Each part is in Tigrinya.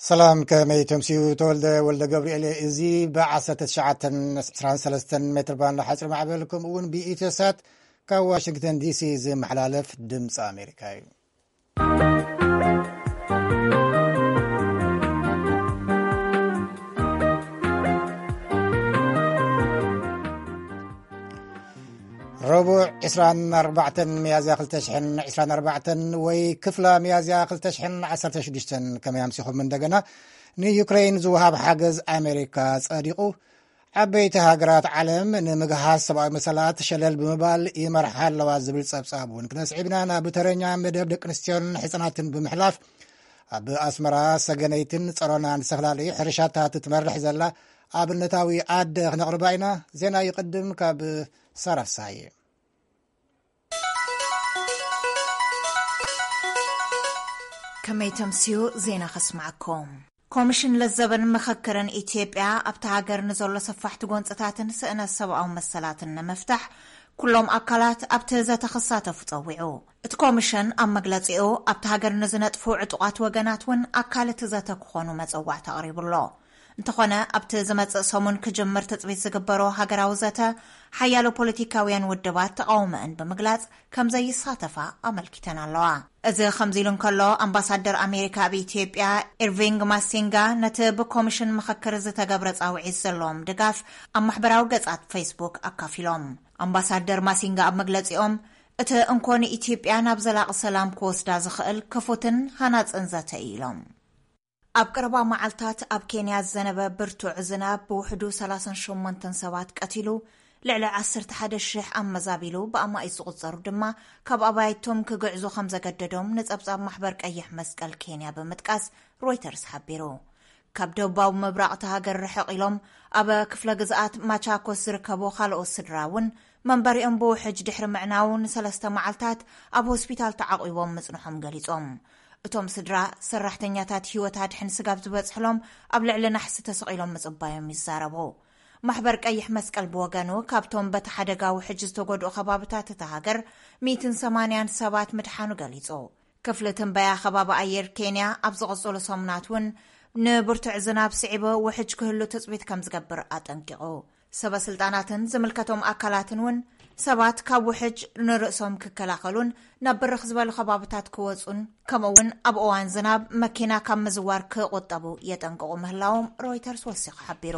ሰላም፣ ከመይ ተምስዩ? ተወልደ ወልደ ገብርኤል። እዚ ብ1923 ሜትር ባንድ ሓፂር ማዕበል፣ ከምኡ እውን ብኢትዮሳት ካብ ዋሽንግተን ዲሲ ዝመሓላለፍ ድምፂ ኣሜሪካ እዩ። ረቡዕ ዕስራን ኣርባዕተን ሚያዝያ ክልተ ሽሕን ዕስራን ኣርባዕተን ወይ ክፍላ ሚያዝያ ክልተ ሽሕን ዓሰርተ ሽዱሽተን። ከመይ ኣምሲኹም? እንደገና ንዩክሬን ዝወሃብ ሓገዝ ኣሜሪካ ጸዲቑ። ዓበይቲ ሃገራት ዓለም ንምግሃስ ሰብኣዊ መሰላት ሸለል ብምባል ይመርሓ ኣለዋ ዝብል ጸብጻብ እውን ክነስዒብና ናብ ተረኛ መደብ ደቂ ኣንስትዮን ሕጻናትን ብምሕላፍ ኣብ ኣስመራ ሰገነይትን ጸሮናን ዝተፈላለዩ ሕርሻታት ትመርሕ ዘላ ኣብነታዊ ኣደ ክነቕርባ ኢና። ዜና ይቕድም ካብ ሳራ ፍስሃየ። ከመይ ተምስዩ? ዜና ከስማዕኩም። ኮሚሽን ለዘብን ምኽክርን ኢትዮጵያ ኣብቲ ሃገር ንዘሎ ሰፋሕቲ ጎንፅታትን ስእነት ሰብኣዊ መሰላትን ንምፍታሕ ኩሎም ኣካላት ኣብቲ ዘተ ክሳተፉ ጸዊዑ። እቲ ኮሚሽን ኣብ መግለጺኡ ኣብቲ ሃገር ንዝነጥፉ ዕጡቓት ወገናት እውን ኣካል እቲ ዘተ ክኾኑ መጸዋዕታ ኣቕሪቡ ኣሎ። እንተኾነ ኣብቲ ዝመጽእ ሰሙን ክጅምር ትጽቢት ዝግበሮ ሃገራዊ ዘተ ሓያሎ ፖለቲካውያን ውድባት ተቓውሞአን ብምግላጽ ከም ዘይሳተፋ ኣመልኪተን ኣለዋ። እዚ ከምዚ ኢሉ እንከሎ ኣምባሳደር ኣሜሪካ ኣብ ኢትዮጵያ ኢርቪንግ ማሲንጋ ነቲ ብኮሚሽን ምኽክር ዝተገብረ ጻውዒት ዘለዎም ድጋፍ ኣብ ማሕበራዊ ገጻት ፌስቡክ ኣካፊሎም። ኣምባሳደር ማሲንጋ ኣብ መግለጺኦም እቲ እንኮ ንኢትዮጵያ ናብ ዘላቒ ሰላም ክወስዳ ዝኽእል ክፉትን ሃናጽን ዘተ እዩ ኢሎም። ኣብ ቀረባ መዓልታት ኣብ ኬንያ ዝዘነበ ብርቱዕ ዝናብ ብውሕዱ ሰላሳን ሸሞንተን ሰባት ቀቲሉ፣ ልዕሊ ዓሰርተ ሓደ ሽሕ ኣመዛቢሉ ብኣማኢት ዝቑጸሩ ድማ ካብ ኣባይቶም ክግዕዙ ከም ዘገደዶም ንጸብጻብ ማሕበር ቀይሕ መስቀል ኬንያ ብምጥቃስ ሮይተርስ ሓቢሩ። ካብ ደቡባዊ ምብራቕ እታ ሃገር ርሕቕ ኢሎም ኣብ ክፍለ ግዝኣት ማቻኮስ ዝርከቡ ካልኦት ስድራ እውን መንበሪኦም ብውሕጅ ድሕሪ ምዕናዉ ንሰለስተ መዓልታት ኣብ ሆስፒታል ተዓቑቦም ምጽንሖም ገሊጾም። እቶም ስድራ ሰራሕተኛታት ህይወት ኣድሕን ስጋብ ዝበጽሕሎም ኣብ ልዕሊ ናሕሲ ተሰቒሎም ምጽባዮም ይዛረቡ። ማሕበር ቀይሕ መስቀል ብወገኑ ካብቶም በቲ ሓደጋ ውሕጅ ዝተጎድኡ ከባብታት እታ ሃገር ሚእትን ሰማንያን ሰባት ምድሓኑ ገሊጹ። ክፍሊ ትንበያ ከባቢ ኣየር ኬንያ ኣብ ዝቕጽሉ ሰሙናት እውን ንብርቱዕ ዝናብ ስዒቡ ውሕጅ ክህሉ ትጽቢት ከም ዝገብር ኣጠንቂቑ። ሰበ ስልጣናትን ዝምልከቶም ኣካላትን እውን ሰባት ካብ ውሕጅ ንርእሶም ክከላኸሉን ናብ ብርኽ ዝበሉ ከባብታት ክወጹን ከምኡ እውን ኣብ እዋን ዝናብ መኪና ካብ ምዝዋር ክቑጠቡ የጠንቅቑ ምህላዎም ሮይተርስ ወሲኹ ሓቢሩ።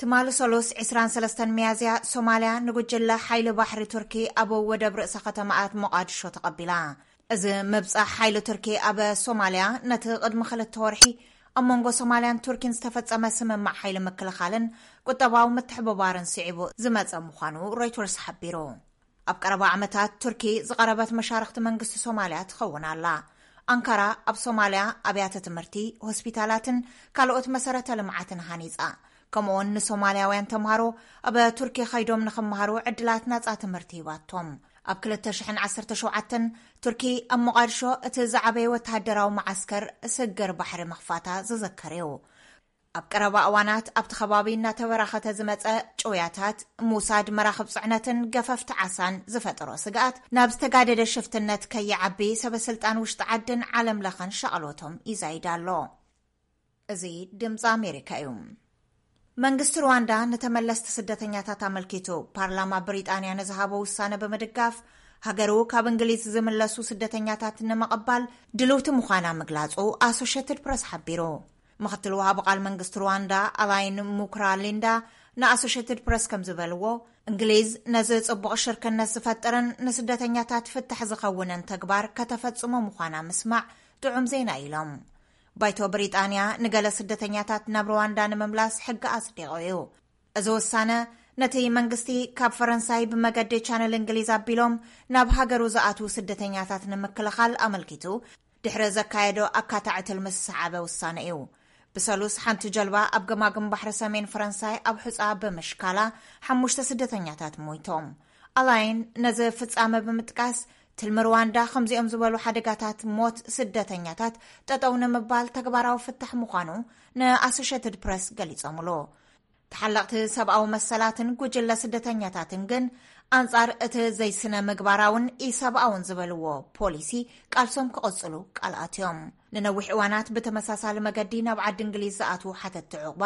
ትማሊ ሰሉስ ዕስራን ሰለስተን ሚያዝያ ሶማልያ ንጉጅለ ሓይሊ ባሕሪ ቱርኪ ኣብ ወደብ ርእሰ ከተማኣት ሞቓድሾ ተቐቢላ። እዚ ምብጻሕ ሓይሊ ቱርኪ ኣብ ሶማልያ ነቲ ቅድሚ ክልተ ወርሒ ኣብ መንጎ ሶማልያን ቱርኪን ዝተፈጸመ ስምምዕ ሓይሊ ምክልኻልን ቁጠባዊ ምትሕብባርን ስዒቡ ዝመጸ ምዃኑ ሮይተርስ ሓቢሩ። ኣብ ቀረባ ዓመታት ቱርኪ ዝቐረበት መሻርኽቲ መንግስቲ ሶማልያ ትኸውን ኣላ። ኣንካራ ኣብ ሶማልያ ኣብያተ ትምህርቲ፣ ሆስፒታላትን ካልኦት መሰረተ ልምዓትን ሃኒጻ። ከምኡውን ንሶማልያውያን ተምሃሮ ኣብ ቱርኪ ከይዶም ንኽመሃሩ ዕድላት ናጻ ትምህርቲ ሂባቶም። ኣብ ክልተ ሽሕን ዓሰርተ ሸውዓተን ቱርኪ ኣብ ሞቓድሾ እቲ ዝዓበየ ወተሃደራዊ መዓስከር ስግር ባሕሪ ምኽፋታ ዝዝከር እዩ። ኣብ ቀረባ እዋናት ኣብቲ ከባቢ እናተበራኸተ ዝመጸ ጭውያታት፣ ሙሳድ መራኽብ ጽዕነትን ገፈፍቲ ዓሳን ዝፈጠሮ ስግኣት ናብ ዝተጋደደ ሽፍትነት ከይዓቢ ሰበ ስልጣን ውሽጢ ዓድን ዓለም ለኸን ሻቕሎቶም ይዛይድ ኣሎ። እዚ ድምፂ ኣሜሪካ እዩ። መንግስቲ ሩዋንዳ ንተመለስቲ ስደተኛታት ኣመልኪቱ ፓርላማ ብሪጣንያ ንዝሃቦ ውሳነ ብምድጋፍ ሃገሩ ካብ እንግሊዝ ዝምለሱ ስደተኛታት ንምቕባል ድልውቲ ምዃና ምግላጹ ኣሶሼትድ ፕረስ ሓቢሩ። ምኽትል ወሃቢ ቃል መንግስቲ ሩዋንዳ ኣላይን ሙክራ ሊንዳ ንኣሶሼትድ ፕረስ ከም ዝበልዎ፣ እንግሊዝ ነዚ ጽቡቕ ሽርክነት ዝፈጠረን ንስደተኛታት ፍታሕ ዝኸውንን ተግባር ከተፈጽሞ ምዃና ምስማዕ ጥዑም ዜና ኢሎም። ባይቶ ብሪጣንያ ንገለ ስደተኛታት ናብ ሩዋንዳ ንምምላስ ሕጊ ኣጽዲቑ እዩ። እዚ ውሳነ ነቲ መንግስቲ ካብ ፈረንሳይ ብመገዲ ቻነል እንግሊዝ ኣቢሎም ናብ ሃገሩ ዝኣትዉ ስደተኛታት ንምክልኻል ኣመልኪቱ ድሕሪ ዘካየዶ ኣካታዒ ትልሚ ዝሰዓበ ውሳነ እዩ። ብሰሉስ ሓንቲ ጀልባ ኣብ ገማግም ባሕሪ ሰሜን ፈረንሳይ ኣብ ሑጻ ብምሽካላ ሓሙሽተ ስደተኛታት ሞይቶም። ኣላይን ነዚ ፍጻመ ብምጥቃስ ትልሚ ሩዋንዳ ከምዚኦም ዝበሉ ሓደጋታት ሞት ስደተኛታት ጠጠው ንምባል ተግባራዊ ፍታሕ ምዃኑ ንኣሶሼትድ ፕረስ ገሊጾምሉ። ተሓለቕቲ ሰብኣዊ መሰላትን ጉጅለ ስደተኛታትን ግን ኣንጻር እቲ ዘይስነ ምግባራውን ኢሰብኣውን ዝበልዎ ፖሊሲ ቃልሶም ክቕጽሉ ቃል ኣትዮም። ንነዊሕ እዋናት ብተመሳሳሊ መገዲ ናብ ዓዲ እንግሊዝ ዝኣትዉ ሓተትቲ ዕቑባ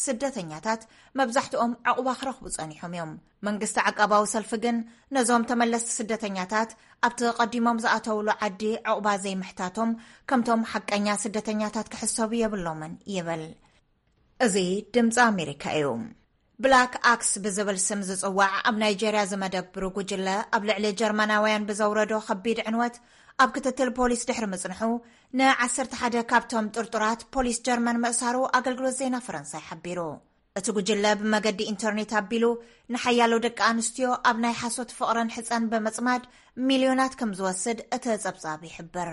ስደተኛታት መብዛሕትኦም ዕቑባ ክረኽቡ ጸኒሖም እዮም። መንግስቲ ዓቃባዊ ሰልፊ ግን ነዞም ተመለስቲ ስደተኛታት ኣብቲ ቀዲሞም ዝኣተውሉ ዓዲ ዕቑባ ዘይምሕታቶም ከምቶም ሓቀኛ ስደተኛታት ክሕሰቡ የብሎምን ይብል። እዚ ድምፂ ኣሜሪካ እዩ። ብላክ ኣክስ ብዝብል ስም ዝፅዋዕ ኣብ ናይጀርያ ዝመደብሩ ጉጅለ ኣብ ልዕሊ ጀርመናውያን ብዘውረዶ ከቢድ ዕንወት ኣብ ክትትል ፖሊስ ድሕሪ ምፅንሑ ንዓሰርተ ሓደ ካብቶም ጥርጡራት ፖሊስ ጀርመን ምእሳሩ ኣገልግሎት ዜና ፈረንሳይ ሓቢሩ። እቲ ጉጅለ ብመገዲ ኢንተርኔት ኣቢሉ ንሓያሎ ደቂ ኣንስትዮ ኣብ ናይ ሓሶት ፍቕርን ሕጸን ብምጽማድ ሚልዮናት ከም ዝወስድ እቲ ጸብጻብ ይሕብር።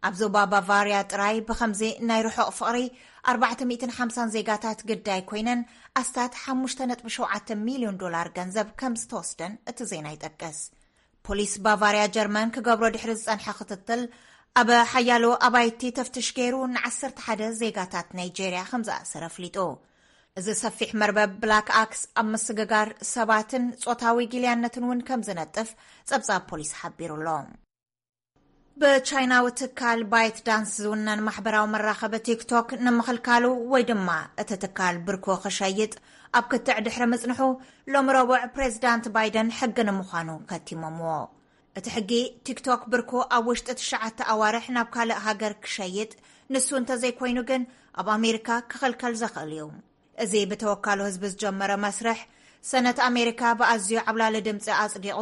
ኣብ ዞባ ባቫርያ ጥራይ ብኸምዚ ናይ ርሑቕ ፍቕሪ ኣርባዕተ ሚእትን ሓምሳን ዜጋታት ግዳይ ኮይነን ኣስታት ሓሙሽተ ነጥቢ ሸውዓተ ሚልዮን ዶላር ገንዘብ ከም ዝተወስደን እቲ ዜና ይጠቅስ። ፖሊስ ባቫርያ ጀርመን ክገብሮ ድሕሪ ዝጸንሐ ክትትል ኣብ ሓያሎ ኣባይቲ ተፍትሽ ገይሩ ንዓሰርተ ሓደ ዜጋታት ናይጄርያ ከም ዝኣሰረ ኣፍሊጡ። እዚ ሰፊሕ መርበብ ብላክ ኣክስ ኣብ ምስግጋር ሰባትን ጾታዊ ጊልያነትን እውን ከም ዝነጥፍ ጸብጻብ ፖሊስ ሓቢሩ ኣሎ። ብቻይናዊ ትካል ባይት ዳንስ ዝውነን ማሕበራዊ መራኸቢ ቲክቶክ ንምኽልካሉ ወይ ድማ እቲ ትካል ብርኮ ክሸይጥ ኣብ ክትዕ ድሕሪ ምጽንሑ፣ ሎሚ ረቡዕ ፕሬዚዳንት ባይደን ሕጊ ንምዃኑ ከቲሞምዎ። እቲ ሕጊ ቲክቶክ ብርኮ ኣብ ውሽጢ ትሽዓተ ኣዋርሕ ናብ ካልእ ሃገር ክሸይጥ፣ ንሱ እንተዘይኮይኑ ግን ኣብ ኣሜሪካ ክኽልከል ዘኽእል እዩ። እዚ ብተወካሉ ህዝቢ ዝጀመረ መስርሕ ሰነት ኣሜሪካ ብኣዝዩ ዓብላሊ ድምፂ ኣጽዲቑ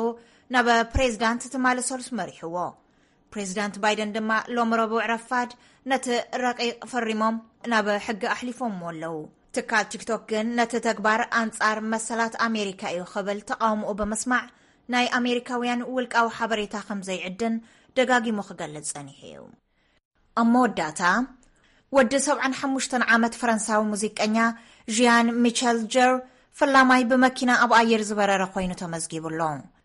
ናብ ፕሬዚዳንት ትማሊ ሰሉስ መሪሕዎ። ፕሬዚዳንት ባይደን ድማ ሎም ረቡዕ ረፋድ ነቲ ረቂቕ ፈሪሞም ናብ ሕጊ ኣሕሊፎምዎ ኣለዉ። ትካል ቲክቶክ ግን ነቲ ተግባር ኣንጻር መሰላት ኣሜሪካ እዩ ክብል ተቓውሞኡ ብምስማዕ ናይ ኣሜሪካውያን ውልቃዊ ሓበሬታ ከም ዘይዕድን ደጋጊሙ ክገልጽ ጸኒሑ እዩ። ኣብ መወዳእታ፣ ወዲ ሰብዓን ሓሙሽተን ዓመት ፈረንሳዊ ሙዚቀኛ ዢያን ሚቸል ጀር ፈላማይ ብመኪና ኣብ ኣየር ዝበረረ ኮይኑ ተመዝጊቡ ኣሎ።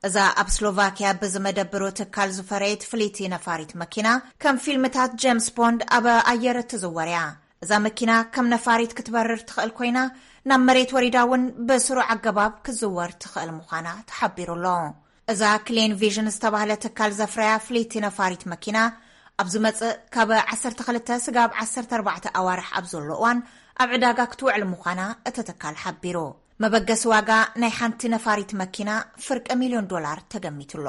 እዛ ኣብ ስሎቫኪያ ብዝመደብሩ ትካል ዝፈረየት ፍልይቲ ነፋሪት መኪና ከም ፊልምታት ጀምስ ቦንድ ኣብ ኣየር እትዝወር እያ። እዛ መኪና ከም ነፋሪት ክትበርር ትኽእል ኮይና ናብ መሬት ወሪዳ እውን ብስሩዕ ኣገባብ ክትዝወር ትኽእል ምዃና ተሓቢሩ ኣሎ። እዛ ክሌን ቪዥን ዝተባህለ ትካል ዘፍረያ ፍልይቲ ነፋሪት መኪና ኣብ ዝመጽእ ካብ ዓሰርተ ክልተ ስጋብ ዓሰርተ ኣርባዕተ ኣዋርሕ ኣብ ዘሎ እዋን ኣብ ዕዳጋ ክትውዕል ምዃና እቲ ትካል ሓቢሩ። መበገሲ ዋጋ ናይ ሓንቲ ነፋሪት መኪና ፍርቂ ሚልዮን ዶላር ተገሚቱ ኣሎ።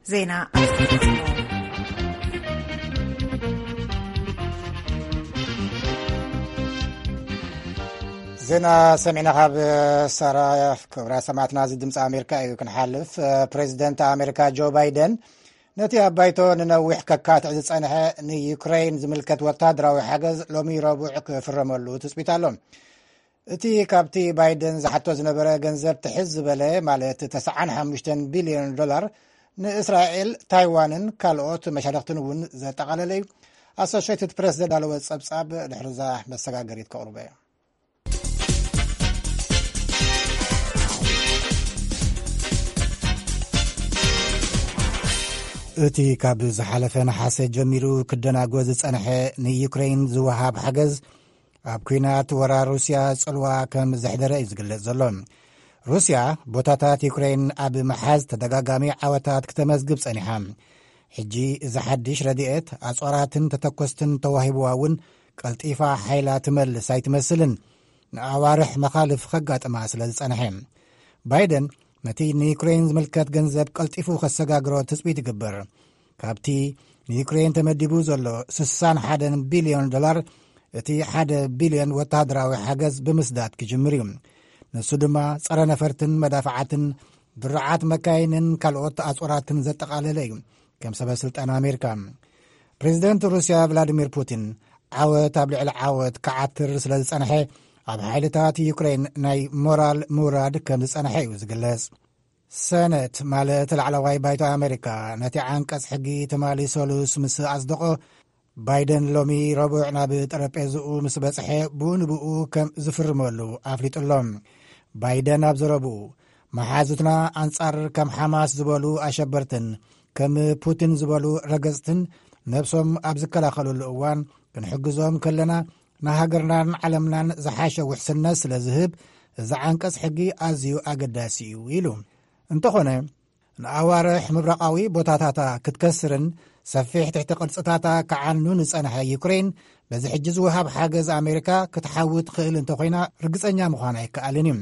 ዜና ኣስመልክቱ። ዜና ሰሚዕና ካብ ሳራ። ክቡራት ሰማዕትና፣ እዚ ድምፂ ኣሜሪካ እዩ። ክንሓልፍ፣ ፕሬዚደንት ኣሜሪካ ጆ ባይደን ነቲ ኣብ ባይቶ ንነዊሕ ከካትዕ ዝፀንሐ ንዩክሬን ዝምልከት ወታደራዊ ሓገዝ ሎሚ ረቡዕ ክፍረመሉ ትፅቢት ኣሎ። እቲ ካብቲ ባይደን ዝሓቶ ዝነበረ ገንዘብ ትሕዝ ዝበለ፣ ማለት ተስዓን ሓሙሽተን ቢልዮን ዶላር፣ ንእስራኤል፣ ታይዋንን ካልኦት መሻርኽትን እውን ዘጠቓለለ እዩ። ኣሶሽየትድ ፕሬስ ዘዳለወ ጸብጻብ ድሕርዛ መሰጋገሪት ከቕርቦ እየ። እቲ ካብ ዝሓለፈ ነሓሰ ጀሚሩ ክደናጎ ዝጸንሐ ንዩክሬን ዝወሃብ ሓገዝ፣ ኣብ ኲናት ወራር ሩስያ ጽልዋ ከም ዘሕደረ እዩ ዝግለጽ ዘሎ። ሩስያ ቦታታት ዩክሬን ኣብ ምሓዝ ተደጋጋሚ ዓወታት ክተመዝግብ ጸኒሓ። ሕጂ እዚ ሓድሽ ረድኤት ኣጽዋራትን ተተኮስትን ተዋሂብዋ እውን ቀልጢፋ ሓይላ ትመልስ ኣይትመስልን፣ ንኣዋርሕ መኻልፍ ከጋጥማ ስለ ዝጸንሐ። ባይደን ነቲ ንዩክሬን ዝምልከት ገንዘብ ቀልጢፉ ከሰጋግሮ ትጽቢት ይግበር። ካብቲ ንዩክሬን ተመዲቡ ዘሎ ስሳን ሓደን ቢልዮን ዶላር፣ እቲ ሓደ ቢልዮን ወተሃደራዊ ሓገዝ ብምስዳድ ክጅምር እዩ። ንሱ ድማ ጸረ ነፈርትን መዳፍዓትን፣ ድሩዓት መካይንን ካልኦት ኣጽዋራትን ዘጠቓለለ እዩ። ከም ሰበ ስልጣን ኣሜሪካ፣ ፕሬዚደንት ሩስያ ቭላዲሚር ፑቲን ዓወት ኣብ ልዕሊ ዓወት ክዓትር ስለ ዝጸንሐ፣ ኣብ ሓይልታት ዩክሬን ናይ ሞራል ምውራድ ከም ዝጸንሐ እዩ ዝግለጽ። ሰነት፣ ማለት ላዕለዋይ ባይቶ ኣሜሪካ፣ ነቲ ዓንቀጽ ሕጊ ትማሊ ሰሉስ ምስ ኣጽደቖ፣ ባይደን ሎሚ ረቡዕ ናብ ጠረጴዝኡ ምስ በጽሐ፣ ብኡ ንብኡ ከም ዝፍርመሉ ኣፍሊጡ ኣሎ። ባይደን ኣብ ዘረብኡ፣ መሓዙትና ኣንጻር ከም ሓማስ ዝበሉ ኣሸበርትን ከም ፑቲን ዝበሉ ረገጽትን ነብሶም ኣብ ዝከላኸሉሉ እዋን፣ ክንሕግዞም ከለና፣ ንሃገርናን ዓለምናን ዝሓሸ ውሕስነት ስለ ዝህብ፣ እዚ ዓንቀጽ ሕጊ ኣዝዩ ኣገዳሲ እዩ ኢሉ። እንተኾነ፣ ንኣዋርሕ ምብራቓዊ ቦታታታ ክትከስርን ሰፊሕ ትሕቲ ቅርጽታታ ክዓኑ ንጸንሐ ዩክሬን፣ በዚ ሕጂ ዝወሃብ ሓገዝ ኣሜሪካ ክትሓዊ ትኽእል እንተኾይና ርግጸኛ ምዃን ኣይከኣልን እዩ።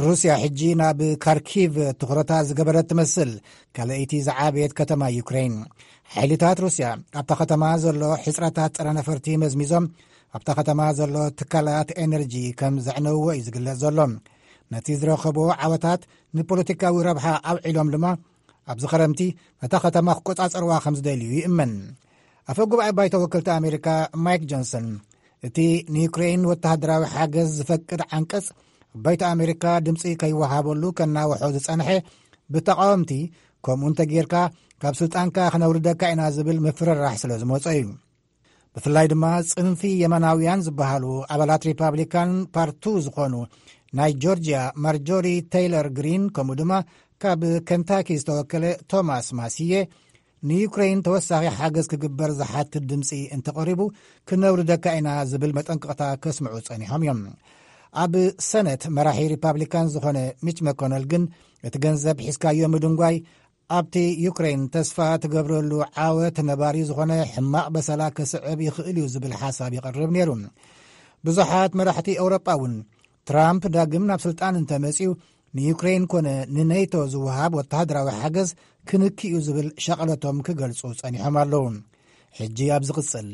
ሩስያ ሕጂ ናብ ካርኪቭ ትኹረታ ዝገበረት ትመስል፣ ካልኣይቲ ዝዓበየት ከተማ ዩክሬን። ሓይልታት ሩስያ ኣብታ ከተማ ዘሎ ሕጽረታት ጸረ ነፈርቲ መዝሚዞም፣ ኣብታ ከተማ ዘሎ ትካላት ኤነርጂ ከም ዘዕነውዎ እዩ ዝግለጽ ዘሎ። ነቲ ዝረኸቦ ዓወታት ንፖለቲካዊ ረብሓ ኣውዒሎም ድማ፣ ኣብዚ ኸረምቲ ነታ ከተማ ክቆጻጸርዋ ከም ዝደልዩ ይእመን። ኣፈ ጉባኤ ባይቶ ወከልቲ ኣሜሪካ ማይክ ጆንሰን፣ እቲ ንዩክሬን ወተሃደራዊ ሓገዝ ዝፈቅድ ዓንቀጽ፣ ባይቶ ኣሜሪካ ድምጺ ከይወሃበሉ ከናውሖ ዝጸንሐ፣ ብተቓወምቲ፣ ከምኡ እንተጌርካ ካብ ስልጣንካ ክነውርደካ ኢና ዝብል ምፍርራሕ ስለ ዝመጾ እዩ። ብፍላይ ድማ ጽንፊ የመናውያን ዝበሃሉ ኣባላት ሪፓብሊካን ፓርቱ ዝኾኑ ናይ ጆርጂያ ማርጆሪ ቴይለር ግሪን፣ ከምኡ ድማ ካብ ከንታኪ ዝተወከለ ቶማስ ማሲየ፣ ንዩክሬን ተወሳኺ ሓገዝ ክግበር ዝሓትት ድምፂ እንተቐሪቡ፣ ክነውርደካ ኢና ዝብል መጠንቀቕታ ከስምዑ ጸኒሖም እዮም። ኣብ ሰነት መራሒ ሪፓብሊካን ዝኾነ ሚች መኮነል ግን፣ እቲ ገንዘብ ሒዝካዮ ምድንጓይ ኣብቲ ዩክሬን ተስፋ ትገብረሉ ዓወት ነባሪ ዝኾነ ሕማቕ በሰላ ከስዕብ ይኽእል እዩ ዝብል ሓሳብ ይቐርብ ነይሩ። ብዙሓት መራሕቲ ኤውሮጳ እውን፣ ትራምፕ ዳግም ናብ ስልጣን እንተመጺኡ፣ ንዩክሬን ኮነ ንኔቶ ዝወሃብ ወተሃደራዊ ሓገዝ ክንኪ እዩ ዝብል ሻቕለቶም ክገልጹ ጸኒሖም ኣለዉ። ሕጂ ኣብ ዝቕጽል፣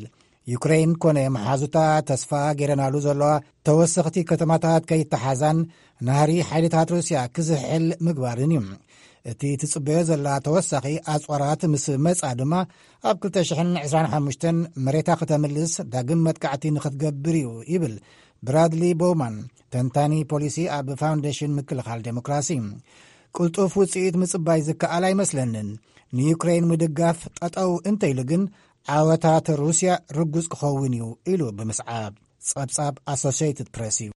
ዩክሬን ኮነ መሓዙታ ተስፋ ገይረናሉ ዘለዋ ተወሰኽቲ ከተማታት ከይተሓዛን ናህሪ ሓይልታት ሩስያ ክዝሕል ምግባርን እዩ። እቲ ትጽበዮ ዘላ ተወሳኺ ኣጽዋራት ምስ መጻ ድማ፣ ኣብ ክልተ ሽሕን ዕስራን ሓሙሽተን መሬታ ከተምልስ ዳግም መጥቃዕቲ ንኽትገብር እዩ ይብል ብራድሊ ቦውማን፣ ተንታኒ ፖሊሲ ኣብ ፋውንዴሽን ምክልኻል ዴሞክራሲ። ቅልጡፍ ውጽኢት ምጽባይ ዝከኣል ኣይመስለንን። ንዩክሬን ምድጋፍ ጠጠው እንተኢሉ ግን፣ ዓወታት ሩስያ ርጉጽ ክኸውን እዩ ኢሉ ብምስዓብ ጸብጻብ ኣሶሲየትድ ፕሬስ እዩ።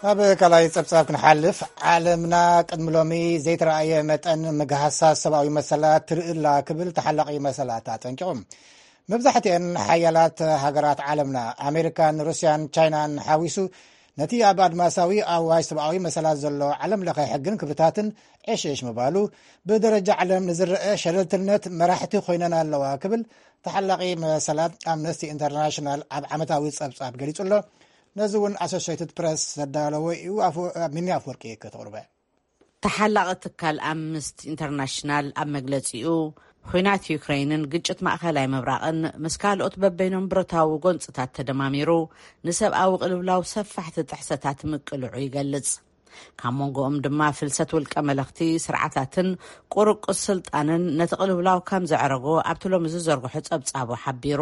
ኣብ ካልኣይ ጸብጻብ ክንሓልፍ፣ ዓለምና ቅድሚ ሎሚ ዘይተረኣየ መጠን ምግሃሳት ሰብኣዊ መሰላት ትርኢ ኣላ ክብል ተሓላቒ መሰላት ኣጠንቂቑ። መብዛሕትአን ሓያላት ሃገራት ዓለምና፣ ኣሜሪካን ሩስያን ቻይናን ሓዊሱ፣ ነቲ ኣብ ኣድማሳዊ ኣዋጅ ሰብኣዊ መሰላት ዘሎ ዓለም ለኸ ሕግን ክብርታትን ዕሽሽ ምባሉ፣ ብደረጃ ዓለም ንዝረአ ሸለልትነት መራሕቲ ኮይነን ኣለዋ ክብል ተሓላቒ መሰላት ኣምነስቲ ኢንተርናሽናል ኣብ ዓመታዊ ጸብጻብ ገሊጹ ኣሎ። ነዚ እውን ኣሶሽየትድ ፕረስ ዘዳለዎ እዩ። ኣፎ-፣ ሚኒ ኣፍወርቂ ከተቕርበ። ተሓላቒ ትካል ኣምነስቲ ኢንተርናሽናል ኣብ መግለጺኡ፣ ኲናት ዩክሬንን ግጭት ማእከላይ ምብራቕን ምስ ካልኦት በበይኖም ብረታዊ ጎንጽታት ተደማሚሩ፣ ንሰብኣዊ ቅልውላው ሰፋሕቲ ጥሕሰታት ምቅልዑ ይገልጽ። ካብ መንጎኦም ድማ ፍልሰት ውልቀ መለኽቲ ስርዓታትን ቁርቁስ ስልጣንን ነቲ ቅልውላው ከም ዘዕረጎ ኣብቲ ሎሚ ዝዘርግሖ ጸብጻቡ ሓቢሩ።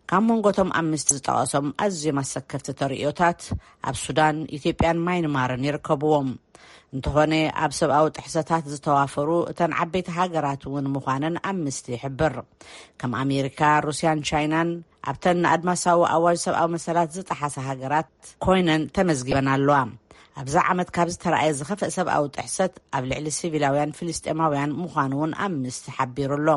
ካብ መንጎቶም ኣምነስቲ ዝጠቐሶም ኣዝዮም ኣሰከፍቲ ተርእዮታት ኣብ ሱዳን፣ ኢትዮጵያን ማይንማርን ይርከብዎም። እንተኾነ፣ ኣብ ሰብኣዊ ጥሕሰታት ዝተዋፈሩ እተን ዓበይቲ ሃገራት እውን ምዃነን ኣምነስቲ ይሕብር። ከም ኣሜሪካ፣ ሩስያን ቻይናን ኣብተን ንኣድማሳዊ ኣዋጅ ሰብኣዊ መሰላት ዝጠሓሳ ሃገራት ኮይነን ተመዝጊበን ኣለዋ። ኣብዛ ዓመት ካብ ዝተረኣየ ዝኸፍአ ሰብኣዊ ጥሕሰት ኣብ ልዕሊ ሲቪላውያን ፍልስጤማውያን ምዃኑ እውን ኣምነስቲ ሓቢሩ ኣሎ።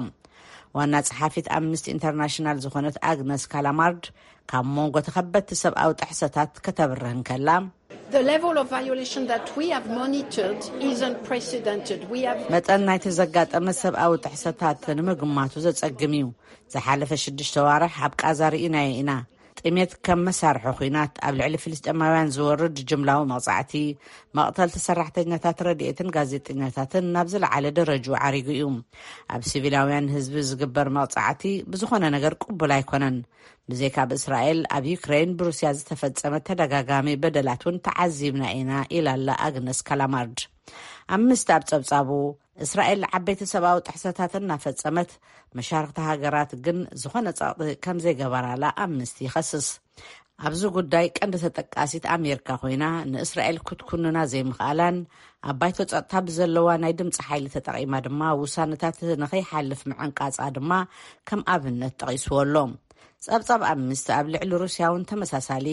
ዋና ጸሓፊት ኣምነስቲ ኢንተርናሽናል ዝኾነት ኣግነስ ካላማርድ፣ ካብ መንጎ ተኸበድቲ ሰብኣዊ ጥሕሰታት ከተብርህ እንከላ፣ The level of violation that we have monitored is unprecedented. We have መጠን ናይቲ ዘጋጠመ ሰብኣዊ ጥሕሰታት ንምግማቱ ዘጸግም እዩ። ዝሓለፈ ሽዱሽተ ዋርሕ ኣብ ቃዛ ርኢናዮ ኢና። ጥሜት ከም መሳርሒ ኲናት ኣብ ልዕሊ ፍልስጤማውያን ዝወርድ ጅምላዊ መቕጻዕቲ፣ መቕተልቲ ሰራሕተኛታት ረድኤትን ጋዜጠኛታትን ናብ ዝለዓለ ደረጅኡ ዓሪጉ እዩ። ኣብ ሲቪላውያን ህዝቢ ዝግበር መቕጻዕቲ ብዝኾነ ነገር ቅቡል ኣይኮነን። ብዘይካ ኣብ እስራኤል፣ ኣብ ዩክሬን ብሩስያ ዝተፈጸመ ተደጋጋሚ በደላት እውን ተዓዚብና ኢና፣ ኢላ ኣላ ኣግነስ ካላማርድ። ኣምነስቲ ኣብ ጸብጻቡ፣ እስራኤል ዓበይቲ ሰብኣዊ ጥሕሰታት እናፈጸመት፣ መሻርኽቲ ሃገራት ግን ዝኾነ ጸቕጢ ከም ዘይገበራላ ኣምነስቲ ይኸስስ። ኣብዚ ጉዳይ ቀንዲ ተጠቃሲት ኣሜሪካ ኮይና፣ ንእስራኤል ክትኩንና ዘይምኽኣላን፣ ኣብ ባይቶ ጸጥታ ብዘለዋ ናይ ድምጺ ሓይሊ ተጠቒማ ድማ ውሳነታት ንኸይሓልፍ ምዕንቃጻ ድማ ከም ኣብነት ጠቒስዎ ኣሎ። ጸብጻብ ኣምነስቲ ኣብ ልዕሊ ሩስያ እውን ተመሳሳሊ፣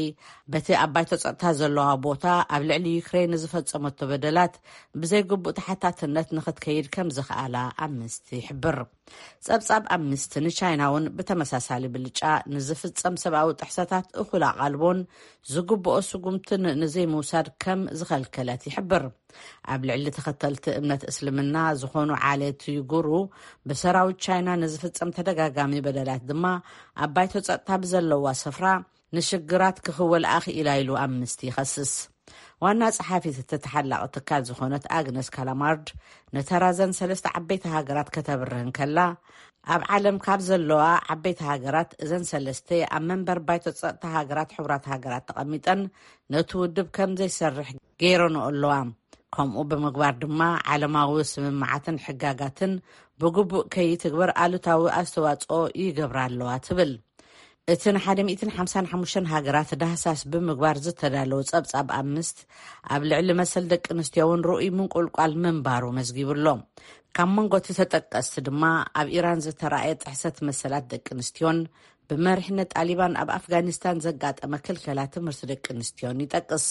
በቲ ኣብ ባይቶ ጸጥታ ዘለዋ ቦታ ኣብ ልዕሊ ዩክሬን ንዝፈጸመቶ በደላት ብዘይግቡእ ተሓታትነት ንኽትከይድ ከም ዝኽኣላ ኣምነስቲ ይሕብር። ጸብጻብ ኣምነስቲ ንቻይና እውን ብተመሳሳሊ ብልጫ ንዝፍጸም ሰብኣዊ ጥሕሰታት እኹል ኣቓልቦን ዝግብኦ ስጉምትን ንዘይምውሳድ ከም ዝኸልከለት ይሕብር። ኣብ ልዕሊ ተኸተልቲ እምነት እስልምና ዝኾኑ ዓሌት ዩጉሩ ብሰራዊት ቻይና ንዝፍጸም ተደጋጋሚ በደላት ድማ ኣብ ባይቶ ጸጥታ ብዘለዋ ስፍራ ንሽግራት ክኽወል ኣኽኢላ ኢሉ ኣምነስቲ ይኸስስ። ዋና ጸሓፊት እቲ ተሓላቒ ትካል ዝኾነት ኣግነስ ካላማርድ፣ ነተራ ዘን ሰለስተ ዓበይቲ ሃገራት ከተብርህ እንከላ፣ ኣብ ዓለም ካብ ዘለዋ ዓበይቲ ሃገራት እዘን ሰለስተ ኣብ መንበር ባይቶ ጸጥታ ሃገራት ሕቡራት ሃገራት ተቐሚጠን ነቲ ውድብ ከም ዘይሰርሕ ገይረንኦ ኣለዋ። ከምኡ ብምግባር ድማ ዓለማዊ ስምምዓትን ሕጋጋትን ብግቡእ ከይትግበር ኣሉታዊ ኣስተዋጽኦ ይገብራ ኣለዋ ትብል። እቲ ን ሓደ ሚእትን ሓምሳን ሓሙሽተን ሃገራት ዳህሳስ ብምግባር ዝተዳለወ ጸብጻብ ኣምነስቲ ኣብ ልዕሊ መሰል ደቂ ኣንስትዮ እውን ርኡይ ምንቁልቋል ምንባሩ መዝጊቡ ኣሎ። ካብ መንጎ እቲ ተጠቀስቲ ድማ ኣብ ኢራን ዝተራእየ ጥሕሰት መሰላት ደቂ ኣንስትዮን ብመሪሕነት ጣሊባን ኣብ ኣፍጋኒስታን ዘጋጠመ ክልከላ ትምህርቲ ደቂ ኣንስትዮን ይጠቅስ።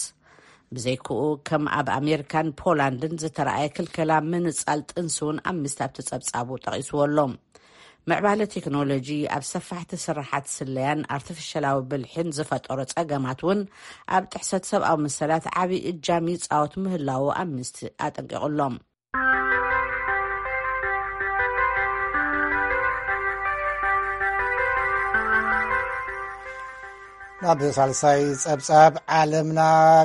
ብዘይክኡ ከም ኣብ ኣሜሪካን ፖላንድን ዝተራእየ ክልከላ ምንጻል ጥንሲ እውን ኣምነስቲ ኣብቲ ጸብጻቡ ጠቒስዎ ኣሎ። ምዕባለ ቴክኖሎጂ ኣብ ሰፋሕቲ ስራሓት ስለያን ኣርቲፊሻላዊ ብልሒን ዝፈጠሮ ጸገማት እውን ኣብ ጥሕሰት ሰብኣዊ መሰላት ዓቢ እጃም ይጻወት ምህላዉ ኣምነስቲ ኣጠንቂቑ ኣሎ። ናብ ሳልሳይ ጸብጻብ ዓለምና፣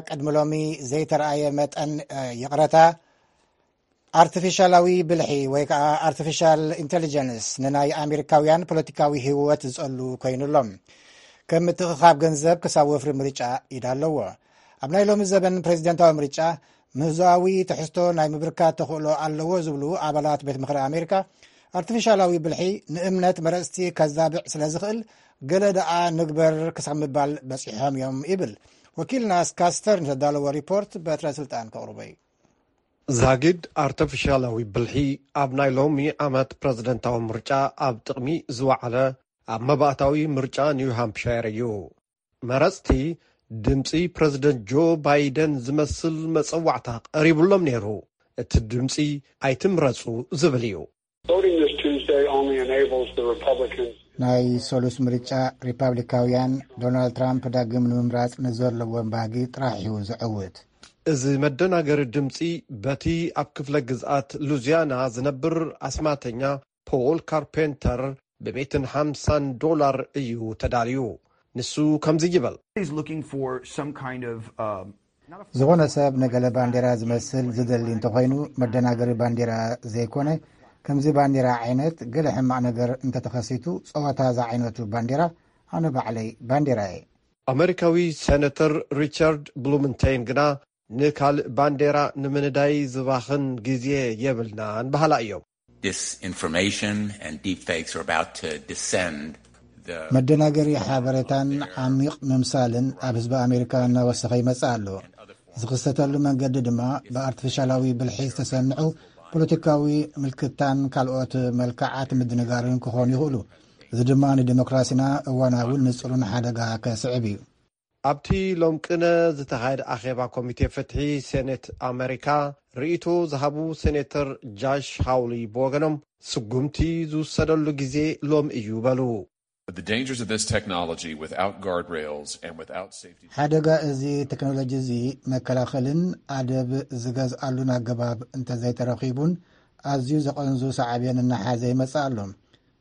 ቅድሚ ሎሚ ዘይተረኣየ መጠን፣ እ፣ ይቕረታ፣ ኣርቲፊሻላዊ ብልሒ ወይ ከዓ ኣርቲፊሻል ኢንቴሊጀንስ ንናይ ኣሜሪካውያን ፖለቲካዊ ህይወት ዝጸሉ ኮይኑ ኣሎ። ከም ምትእኽኻብ ገንዘብ ክሳብ ወፍሪ ምርጫ ኢድ ኣለዎ። ኣብ ናይ ሎሚ ዘበን ፕሬዚደንታዊ ምርጫ ምህዞኣዊ ትሕዝቶ ናይ ምብርካት ተኽእሎ ኣለዎ ዝብሉ ኣባላት ቤት ምኽሪ ኣሜሪካ፣ ኣርቲፊሻላዊ ብልሒ ንእምነት መረጽቲ ከዛብዕ ስለ ዝኽእል፣ ገለ ደኣ ንግበር ክሳብ ምባል በጺሖም እዮም ይብል። ወኪልና ስካት ስተርንስ ዘዳለዎ ሪፖርት በትረ ስልጣን ከቕርቦ እዩ። ዛጊድ ኣርተፊሻላዊ ብልሒ ኣብ ናይ ሎሚ ዓመት ፕረዚደንታዊ ምርጫ ኣብ ጥቕሚ ዝወዓለ፣ ኣብ መባእታዊ ምርጫ ኒው ሃምፕሻየር እዩ። መረጽቲ ድምጺ ፕረዚደንት ጆ ባይደን ዝመስል መጸዋዕታ ቀሪቡሎም ነይሩ። እቲ ድምጺ ኣይትምረጹ ዝብል እዩ። Voting this Tuesday only enables the Republicans ናይ ሰሉስ ምርጫ ሪፓብሊካውያን ዶናልድ ትራምፕ ዳግም ንምምራጽ ንዘለዎም ባህጊ ጥራሕ እዩ ዝዕውት። እዚ መደናገሪ ድምጺ በቲ ኣብ ክፍለ ግዝኣት ሉዚያና ዝነብር ኣስማተኛ ፖል ካርፔንተር ብሚእትን ሓምሳን ዶላር እዩ ተዳልዩ። ንሱ ከምዚ ይብል። He's looking for some kind of, um, ዝኾነ ሰብ ንገለ ባንዴራ ዝመስል ዝደሊ እንተኾይኑ፣ መደናገሪ ባንዴራ ዘይኮነ፣ ከምዚ ባንዴራ ዓይነት ገለ ሕማቕ ነገር እንተተኸሲቱ፣ ጸወታ ዝዓይነቱ ባንዴራ፣ ኣነ ባዕለይ ባንዴራ እየ። ኣመሪካዊ ሴነተር ሪቻርድ ብሉምንቴይን ግና ንካልእ ባንዴራ ንምንዳይ ዝባኽን ግዜ የብልናን በሃላ እዮም። Disinformation and deepfakes are about to descend the መደናገሪ ሓበሬታን ዓሚቕ ምምሳልን ኣብ ህዝቢ ኣሜሪካ እናወሰኸ ይመጽእ ኣሎ። ዝኽሰተሉ መንገዲ ድማ ብኣርቲፊሻላዊ ብልሒ ዝተሰንዑ ፖለቲካዊ ምልክታን ካልኦት መልክዓት ምድንጋርን ክኾኑ ይኽእሉ። እዚ ድማ ንዲሞክራሲና እዋናውን ንጹርን ሓደጋ ከስዕብ እዩ። ኣብቲ ሎም ቅነ ዝተኻየደ ኣኼባ ኮሚቴ ፍትሒ ሴኔት ኣመሪካ ርእይቶ ዝሃቡ ሴኔተር ጃሽ ሃውሊ ብወገኖም፣ ስጉምቲ ዝውሰደሉ ግዜ ሎም እዩ በሉ። The dangers of this technology without guardrails and without safety ሓደጋ እዚ ቴክኖሎጂ እዚ መከላኸልን ኣደብ ዝገዝኣሉን ኣገባብ እንተዘይተረኺቡን ኣዝዩ ዘቐንዙ ሳዕቤን እናሓዘ ይመጽእ ኣሎ።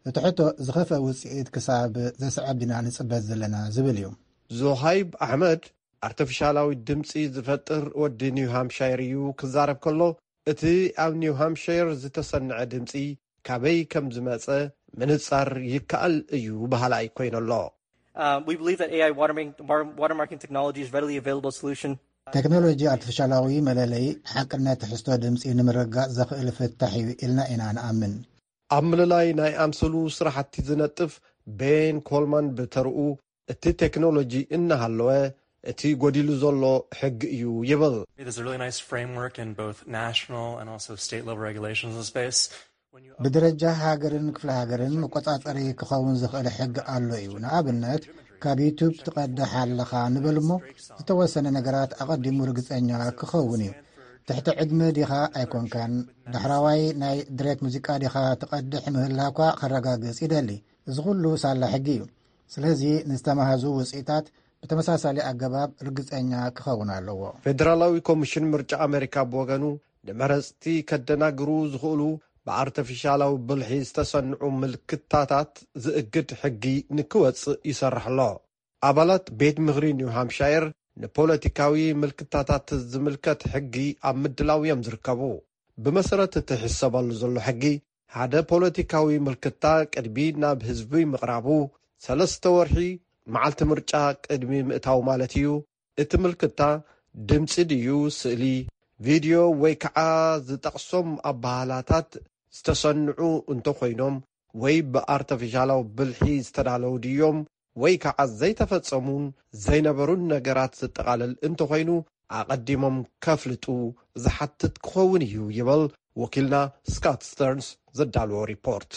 እቲ ሕቶ ዝኸፍአ ውጽኢት ክሳብ ዘስዕብ ዲና ንጽበ ዘለና ዝብል እዩ። ዞሃይብ ኣሕመድ ኣርተፊሻላዊ ድምጺ ዝፈጥር ወዲ ኒው ሃምሻየር እዩ ክዛረብ ከሎ፣ እቲ ኣብ ኒው ሃምሻየር ዝተሰንዐ ድምጺ ካበይ ከም ዝመጸ ምንጻር ይከኣል እዩ በሃላይ ኮይኑ ኣሎ። Uh, we believe that A I watermarking, mar- watermarking technology is readily available solution. ቴክኖሎጂ ኣርቲፊሻላዊ መለለዪ ሓቅነት ትሕዝቶ ድምጺ ንምርግጋጽ ዘኽእል ፍታሕ እዩ ኢልና ኢና ንኣምን። ኣብ ምልላይ ናይ ኣምሰሉ ስራሕቲ ዝነጥፍ ቤን ኮልማን ብተርኡ፣ እቲ ቴክኖሎጂ እናሃለወ እቲ ጎዲሉ ዘሎ ሕጊ እዩ ይብል። There's a really nice framework in both national and also state level regulations in the space. ብደረጃ ሃገርን ክፍለ ሃገርን መቆጻጸሪ ክኸውን ዝኽእል ሕጊ ኣሎ እዩ። ንኣብነት፣ ካብ ዩቱብ ትቐድሕ ኣለኻ ንበል እሞ፣ ዝተወሰነ ነገራት ኣቐዲሙ ርግጸኛ ክኸውን እዩ። ትሕቲ ዕድመ ዲኻ ኣይኮንካን፣ ዳሕራዋይ ናይ ድሬት ሙዚቃ ዲኻ ትቐድሕ ምህላኳ ከረጋግጽ ይደሊ። እዚ ኩሉ ሳላ ሕጊ እዩ። ስለዚ ንዝተማህዙ ውጽኢታት ብተመሳሳሊ ኣገባብ ርግጸኛ ክኸውን ኣለዎ። ፌደራላዊ ኮሚሽን ምርጫ ኣሜሪካ ብወገኑ፣ ንመረጽቲ ከደናግሩ ዝኽእሉ ብኣርተፊሻላዊ ብልሒ ዝተሰንዑ ምልክታታት ዝእግድ ሕጊ ንክወጽእ ይሰርሕ ኣሎ። ኣባላት ቤት ምኽሪ ኒው ሃምሻየር ንፖለቲካዊ ምልክታታት ዝምልከት ሕጊ ኣብ ምድላው እዮም ዝርከቡ። ብመሰረት እቲ ሕሰበሉ ዘሎ ሕጊ፣ ሓደ ፖለቲካዊ ምልክታ ቅድሚ ናብ ህዝቢ ምቕራቡ፣ ሰለስተ ወርሒ፣ መዓልቲ ምርጫ ቅድሚ ምእታው ማለት እዩ፣ እቲ ምልክታ ድምጺ ድዩ፣ ስእሊ፣ ቪድዮ ወይ ከዓ ዝጠቕሶም ኣባህላታት ዝተሰንዑ እንተኾይኖም ወይ ብኣርተፊሻላዊ ብልሒ ዝተዳለዉ ድዮም ወይ ከዓ ዘይተፈጸሙን ዘይነበሩን ነገራት ዘጠቓልል እንተኾይኑ፣ ኣቐዲሞም ከፍልጡ ዝሓትት ክኸውን እዩ ይብል ወኪልና ስካት ስተርንስ ዘዳልዎ ሪፖርት።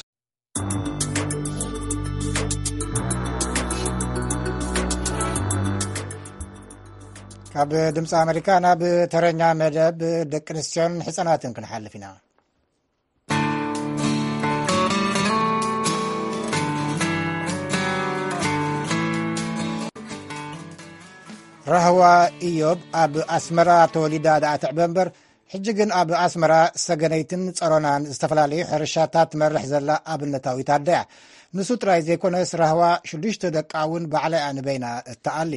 ካብ ድምፂ ኣሜሪካ ናብ ተረኛ መደብ ደቂ ኣንስትዮን ሕፃናትን ክንሓልፍ ኢና። ራህዋ ኢዮብ ኣብ ኣስመራ ተወሊዳ ደኣ ትዕበ እምበር፣ ሕጂ ግን ኣብ ኣስመራ ሰገነይትን ጸሮናን ዝተፈላለዩ ሕርሻታት ትመርሕ ዘላ ኣብነታዊት ኣደ እያ። ንሱ ጥራይ ዘይኮነስ፣ ራህዋ ሽዱሽተ ደቃ እውን ባዕላ እያ ንበይና እትኣሊ።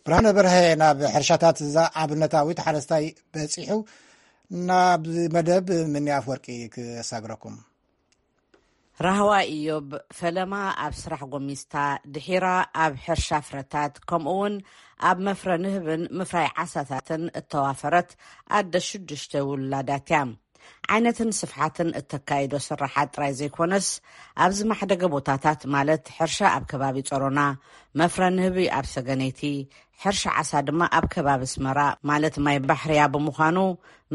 ብርሃነ በርሀ ናብ ሕርሻታት እዛ ኣብነታዊት ሓረስታይ በጺሑ፣ ናብ መደብ ምኒ ኣፍወርቂ ክሳግረኩም። ራህዋ ኢዮብ ፈለማ ኣብ ስራሕ ጎሚስታ፣ ድሒራ ኣብ ሕርሻ ፍረታት፣ ከምኡውን ኣብ መፍረ ንህብን ምፍራይ ዓሳታትን እተዋፈረት ኣደ ሽዱሽተ ውላዳት እያ። ዓይነትን ስፍሓትን እተካይዶ ስራሓት ጥራይ ዘይኮነስ፣ ኣብ ዝማሕደገ ቦታታት፣ ማለት ሕርሻ ኣብ ከባቢ ጸሮና፣ መፍረ ንህቢ ኣብ ሰገነይቲ፣ ሕርሻ ዓሳ ድማ ኣብ ከባቢ ኣስመራ፣ ማለት ማይ ባሕርያ ብምዃኑ፣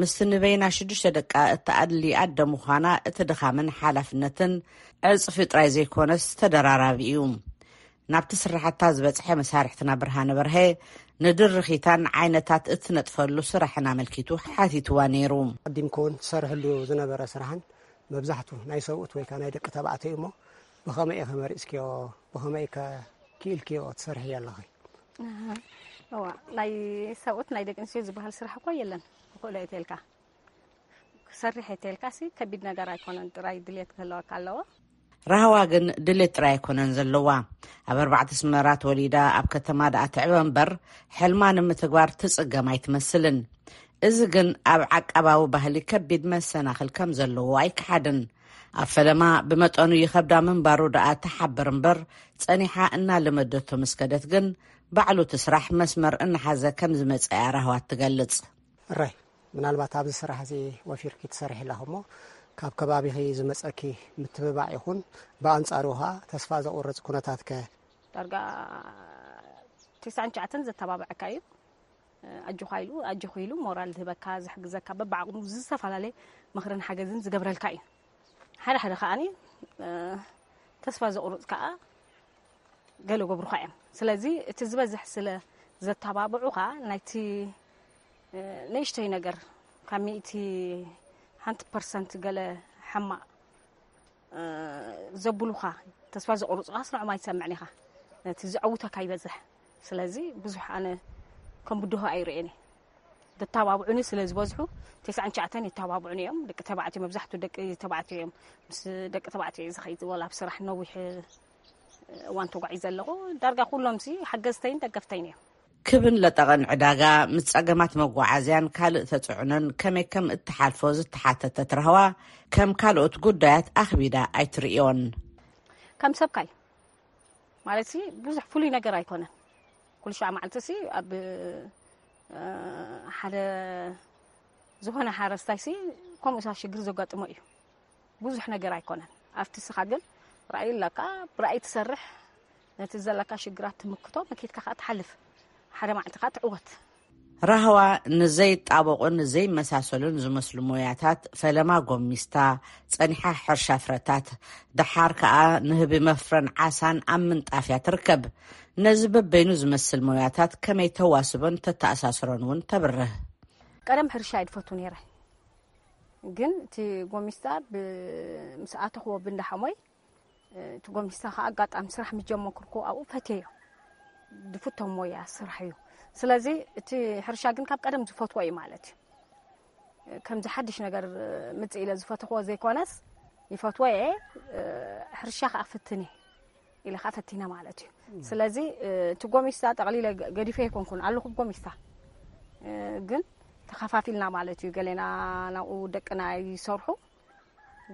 ምስቲ ንበይና ሽዱሽተ ደቃ እተኣሊ ኣደ ምዃና፣ እቲ ድኻምን ሓላፍነትን ዕጽፊ ጥራይ ዘይኮነስ ተደራራቢ እዩ። ናብቲ ስራሕታ ዝበጽሐ መሳርሕትና ብርሃነ በርሀ፣ ንድርኺታን ዓይነታት እትነጥፈሉ ስራሕን ኣመልኪቱ ሓቲትዋ ነይሩ። ቀዲምኪ እውን ትሰርሕሉ ዝነበረ ስራሕን መብዛሕቱ ናይ ሰብኡት ወይ ከዓ ናይ ደቂ ተባዕትዮ እሞ፣ ብኸመይ ኢኺ መሪጽክዮ? ብኸመይ ከ ክኢልክዮ ትሰርሕዮ ኣለኺ? እዋ፣ ናይ ሰብኡት ናይ ደቂ ኣንስትዮ ዝበሃል ስራሕ እኮ የለን። ክኽእሎ እየ ተልካ፣ ክሰርሕ እየ ተልካ ሲ ከቢድ ነገር ኣይኮነን፣ ጥራይ ድልየት ክህልወካ ኣለዎ። ራህዋ ግን ድሌት ጥራይ ኣይኮነን ዘለዋ። ኣብ ኣርባዕተ ኣስመራ ተወሊዳ ኣብ ከተማ ደኣ ትዕበ እምበር፣ ሕልማ ንምትግባር ትጽገም ኣይትመስልን። እዚ ግን ኣብ ዓቃባዊ ባህሊ ከቢድ መሰናኽል ከም ዘለዎ ኣይከሓድን። ኣብ ፈለማ ብመጠኑ ይኸብዳ ምንባሩ ደኣ ትሓብር እምበር፣ ጸኒሓ እናለመደቶ ምስ ከደት ግን፣ ባዕሉ እቲ ስራሕ መስመር እናሓዘ ከም ዝመጸ እያ ራህዋ ትገልጽ። እራይ፣ ምናልባት ኣብዚ ስራሕ እዚ ወፊርኪ ትሰርሒ ኣለኺ እሞ፣ ካብ ከባቢኺ ዝመጸኪ ምትብባዕ ይኹን፣ ብኣንጻሩ ኸኣ ተስፋ ዘቑርጽ ኩነታት ከ? ዳርጋ ተስዓን ትሽዓተን ዘተባብዐካ እዩ። ኣጆኻ ኢሉ፣ ኣጆኺ ኢሉ ሞራል ዝህበካ፣ ዝሕግዘካ፣ በብዓቕሙ ዝተፈላለየ ምኽርን ሓገዝን ዝገብረልካ እዩ። ሓደ ሓደ ከኣ ተስፋ ዘቑርጽ ከኣ ገለ ገብሩኻ እዮም። ስለዚ እቲ ዝበዝሕ ስለ ዘተባብዑኻ፣ ናይቲ ንእሽተይ ነገር ካብ ሚእቲ ሓንቲ ፐርሰንት ገለ ሕማቕ ዘብሉኻ፣ ተስፋ ዘቑርጹኻስ ንዖም ኣይትሰምዕን ኢኻ። ነቲ ዘዐውተካ ይበዝሕ። ስለዚ ብዙሕ ኣነ ከም ብድሆ ኣይርእየን እየ። ዘተባብዑኒ ስለ ዝበዝሑ፣ ተስዓን ትሽዓተን የተባብዑኒ እዮም። ደቂ ተባዕትዮ፣ መብዛሕትኡ ደቂ ተባዕትዮ እዮም። ምስ ደቂ ተባዕትዮ እየ ዝኸይድ፣ ወላ ኣብ ስራሕ ነዊሕ እዋን ተጓዒዘ ኣለኹ። ዳርጋ ኩሎምሲ ሓገዝተይን ደገፍተይን እዮም። ክብን ለጠቐን ዕዳጋ፣ ምስ ጸገማት መጓዓዝያን ካልእ ተጽዕኖን ከመይ ከም እትሓልፎ ዝተሓተተት ራህዋ፣ ከም ካልኦት ጉዳያት ኣኽቢዳ ኣይትርእዮን። ከም ሰብካይ ማለትሲ ብዙሕ ፍሉይ ነገር ኣይኮነን። ኩሉ ሻዕ መዓልትሲ ኣብ እ፣ ሓደ ዝኾነ ሓረስታይሲ ከምኡ ሳ ሽግር ዘጋጥሞ እዩ። ብዙሕ ነገር ኣይኮነን። ኣብቲ ስኻ ግን ራእይ ኣለካ፣ ብራእይ ትሰርሕ፣ ነቲ ዘለካ ሽግራት ትምክቶ፣ መኬትካ ከኣ ትሓልፍ። ሓደ መዓልቲ ከኣ ትዕወት። ራህዋ ንዘይጣበቑን ዘይመሳሰሉን ዝመስሉ ሞያታት ፈለማ ጎሚስታ፣ ጸኒሓ ሕርሻ ፍረታት፣ ደሓር ከኣ ንህቢ መፍረን ዓሳን ኣብ ምንጣፍያ ትርከብ። ነዚ በበይኑ ዝመስል ሞያታት ከመይ ተዋስቦን ተተኣሳስሮን እውን ተብርህ። ቀደም ሕርሻ እየ ዝፈቱ ነይረ፣ ግን እቲ ጎሚስታ ብ-፣ ምስ ኣተኽዎ ብንዳሓሞይ እቲ ጎሚስታ ከዓ ኣጋጣሚ ስራሕ ምስ ጀመርኩ ኣብኡ ፈትየዮ። ዝፍቶ ሞያ ስራሕ እዩ። ስለዚ እቲ ሕርሻ ግን ካብ ቀደም ዝፈትዎ እዩ ማለት እዩ። ከምዚ ሓድሽ ነገር ምጽእ ኢለ ዝፈትኽዎ ዘይኮነስ ይፈትዎ እየ። ሕርሻ ከዓ ፍትን እየ ኢለ ከዓ ፈቲነ ማለት እዩ። ስለዚ እቲ ጎሚስታ ጠቕሊለ ገ-፣ ገዲፈ ኣይኮንኩን ኣለኹ ጎሚስታ፣ ግን ተኸፋፊልና ማለት እዩ። ገሌና ናብኡ ደቅና ይሰርሑ፣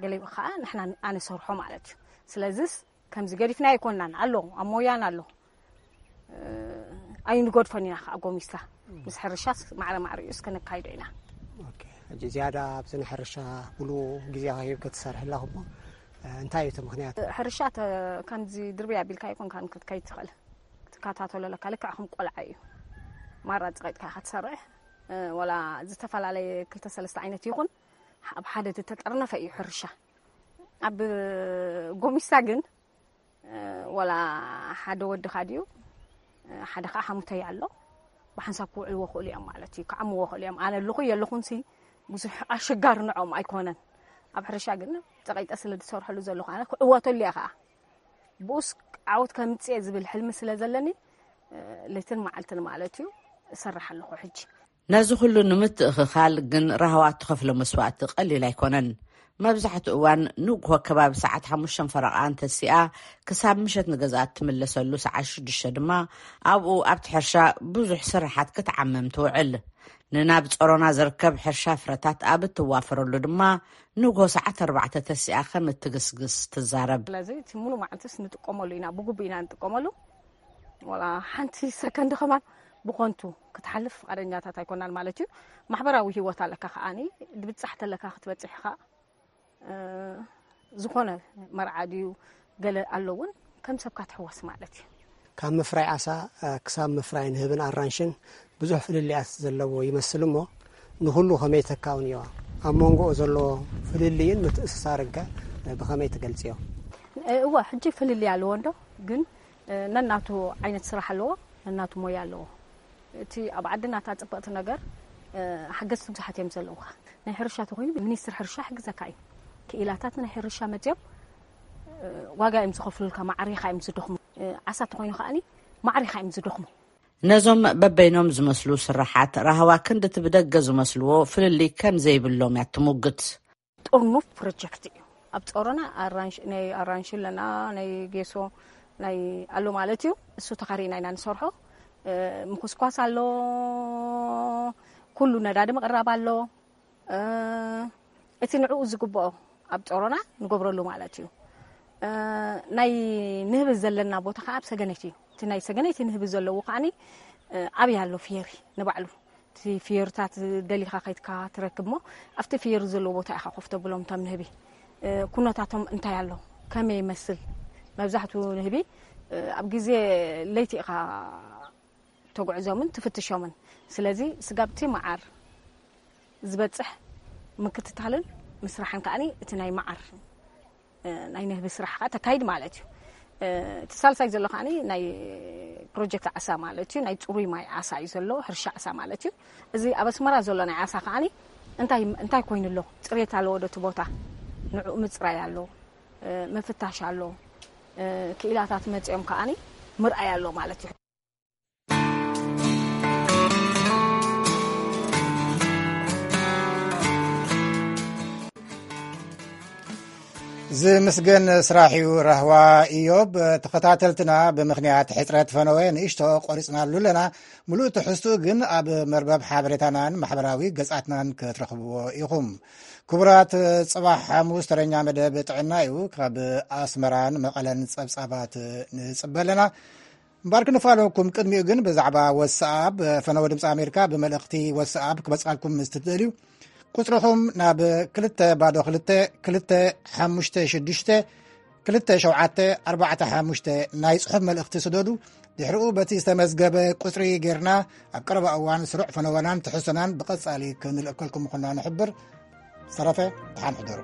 ገሊኡ ከዓ ንሕና ኣነ ሰርሖ ማለት እዩ። ስለዚስ ከምዚ ገዲፍና ኣይኮንናን ኣሎ፣ ኣብ ሞያን ኣሎ። ኣይንገድፎን ኢና ከዓ ጎሚስታ ምስ ሕርሻስ ማዕረ ማዕሪኡ እስከ ነካይዶ ኢና። ኦኬ፣ ሕጂ ዝያዳ ኣብዚ ንሕርሻ ሙሉ ግዜኻ ሂብካ ትሰርሕ ኣለኹ እሞ፣ እንታይ እዩ እቲ ምኽንያት? ሕርሻ ተ-፣ ከምዚ ድርብያ ኣቢልካ ኣይኮንካን ክትከይድ ትኽእል። ክትከታተሎ ኣለካ፣ ልክዕ ከም ቆልዓ እዩ። ማራ ጽቒጥካ ኢኻ ትሰርሕ። ወላ ዝተፈላለየ ክልተ ሰለስተ ዓይነት ይኹን፣ ኣብ ሓደ ዝተጠርነፈ እዩ ሕርሻ። ኣብ ጎሚስታ ግን፣ ወላ ሓደ ወድኻ ድዩ፣ ሓደ ኸዓ ሓሙተይ ኣሎ፣ ብሓንሳብ ክውዕልዎ ክእሉ እዮም ማለት እዩ፣ ክዓምዎ ክእሉ እዮም። ኣነ ኣለኹ የለኹንሲ ብዙሕ ኣሸጋሪ ንዕኦም ኣይኮነን። ኣብ ሕርሻ ግን ጸቒጠ ስለ ዝሰርሐሉ ዘለኹ ኣነ ክዕወተሉ እየ ኸዓ። ብኡስ ዓወት ከምጽእ እየ ዝብል ሕልሚ ስለ ዘለኒ፣ ለይትን መዓልትን ማለት እዩ፣ እሰርሕ ኣለኹ ሕጂ። ነዚ ኩሉ ንምትእኽኻል ግን ራህዋ እትኸፍሎ መስዋእቲ ቀሊል ኣይኮነን። መብዛሕትኡ እዋን ንግሆ ከባቢ ሰዓት ሓሙሽተ ፈረቓ እንተሲኣ፣ ክሳብ ምሸት ንገዝኣ እትምለሰሉ ሰዓት ሽዱሽተ ድማ ኣብኡ ኣብቲ ሕርሻ ብዙሕ ስራሓት ክትዓመም ትውዕል። ንናብ ጸሮና ዝርከብ ሕርሻ ፍረታት ኣብ እትዋፈረሉ ድማ ንግሆ ሰዓት ኣርባዕተ ተሲኣ ከም እትግስግስ ትዛረብ። ስለዚ እቲ ሙሉ መዓልትስ ንጥቀመሉ ኢና፣ ብግቡእ ኢና ንጥቀመሉ። ዋላ ሓንቲ ሰከንድ ከማን ብኾንቱ ክትሓልፍ ፍቓደኛታት ኣይኮናን ማለት እዩ። ማሕበራዊ ህይወት ኣለካ ከዓኒ፣ ድብጻሕ ተለካ ክትበጽሕ ኢኻ። እ፣ ዝኾነ መርዓ ድዩ ገለ ኣሎ እውን ከም ሰብካ ትሕወስ ማለት እዩ። ካብ ምፍራይ ዓሳ፣ እ፣ ክሳብ ምፍራይ ንህብን ኣራንሽን ብዙሕ ፍልልያት ዘለዎ ይመስል እሞ፣ ንኹሉ ከመይ ተካውንዮ? ኣብ መንጎኡ ዘሎ ፍልልይን ምትእስሳርን ከ ብኸመይ ትገልጽዮ? እ፣ እወ፣ ሕጂ ፍልልይ ኣለዎ እንዶ፣ ግን፣ እ፣ ነናቱ ዓይነት ስራሕ ኣለዎ፣ ነናቱ ሞያ ኣለዎ። እቲ ኣብ ዓድና እታ ጽብቕቲ ነገር፣ እ፣ ሓገዝቲ ብዙሓት እዮም ዘለዉኻ። ናይ ሕርሻ ተኾይኑ ሚኒስትሪ ሕርሻ ይሕግዘካ እዩ። ክኢላታት ናይ ሕርሻ መጽዮም፣ እ፣ ዋጋ እዮም ዝኸፍሉልካ፣ ማዕሪኻ እዮም ዝደኽሙ። እ፣ ዓሳ ተኾይኑ ከኣኒ ማዕሪኻ እዮም ዝደኽሙ። ነዞም በበይኖም ዝመስሉ ስራሓት ራህዋ ክንድቲ ብደገ ዝመስልዎ ፍልልይ ከም ዘይብሎም እያ ትሙግት። ጥርኑፍ ፕሮጀክት እዩ። ኣብ ጾሮና ኣራንሽ-፣ ናይ ኣራንሺ ኣለና፣ ናይ ጌሶ፣ ናይ ኣሎ ማለት እዩ። እሱ ተኻሪና ኢና ንሰርሖ። እ፣ ምኹስኳስ ኣሎ፣ ኩሉ ነዳዲ ምቕራብ ኣሎ። እ፣ እቲ ንዕኡ ዝግብኦ ኣብ ጾሮና ንገብረሉ ማለት እዩ። እ፣ ናይ ንህቢ ዘለና ቦታ ከዓ ኣብ ሰገነይቲ እዩ። እቲ ናይ ሰገነይቲ ንህቢ ዘለዎ ከዓኒ፣ እ፣ ኣብያ ኣሎ ፍየሪ ንባዕሉ። እቲ ፍየርታት ደሊኻ ከይትካ ትረክብ እሞ፣ ኣብቲ ፍየር ዘለዎ ቦታ ኢኻ ኮፍ ተብሎም እቶም ንህቢ። እ፣ ኩነታቶም እንታይ ኣሎ? ከመይ ይመስል? መብዛሕትኡ ንህቢ፣ እ፣ ኣብ ግዜ ለይቲ ኢኻ ተጉዕዞምን ትፍትሾምን። ስለዚ ስጋብቲ መዓር ዝበጽሕ ምክትታልን ምስራሕን ከዓኒ እቲ ናይ መዓር፣ እ፣ ናይ ንህቢ ስራሕ ከኣ ተካይድ ማለት እዩ። እ፣ እቲ ሳልሳይ ዘሎ ከዓኒ ናይ ፕሮጀክት ዓሳ ማለት እዩ። ናይ ጽሩይ ማይ ዓሳ እዩ ዘሎ፣ ሕርሻ ዓሳ ማለት እዩ። እዚ ኣብ ኣስመራ ዘሎ ናይ ዓሳ ከዓኒ እንታይ፣ እንታይ ኮይኑ ኣሎ? ጽሬት ኣለዎ ዶ እቲ ቦታ? ንዕኡ ምጽራይ ኣሎ፣ እ፣ ምፍታሽ ኣሎ። እ፣ ክኢላታት መጺኦም ከዓኒ ምርኣይ ኣሎ ማለት እዩ። ዝምስገን ስራሕ እዩ ራህዋ ኢዮብ። ተኸታተልትና፣ ብምኽንያት ሕጽረት ፈነወ ንእሽቶ ቆሪጽናሉ ኣለና። ምሉእ ትሕዝትኡ ግን ኣብ መርበብ ሓበሬታናን ማሕበራዊ ገጻትናን ክትረኽብዎ ኢኹም። ክቡራት፣ ጽባሕ ሓሙስ ተረኛ መደብ ጥዕና እዩ። ካብ ኣስመራን መቐለን ጸብጻባት ንጽበ ኣለና። እምበኣር ክንፋለኩም፣ ቅድሚኡ ግን ብዛዕባ ወትስኣፕ፣ ፈነወ ድምፂ ኣሜሪካ ብመልእኽቲ ወትስኣፕ ክበፅኣልኩም ምስ ትደልዩ፣ ቁፅርኹም ናብ ክልተ ባዶ ክልተ ክልተ ሓሙሽተ ሽዱሽተ ክልተ ሸውዓተ ኣርባዕተ ሓሙሽተ ናይ ፅሑፍ መልእኽቲ ስደዱ። ድሕሪኡ በቲ ዝተመዝገበ ቁጽሪ ጌርና ኣብ ቀረባ እዋን ስሩዕ ፈነወናን ትሕዝቶናን ብቐጻሊ ክንልእከልኩም ምዃንና ንሕብር። ሰረፈ፣ ደሓን ሕደሩ።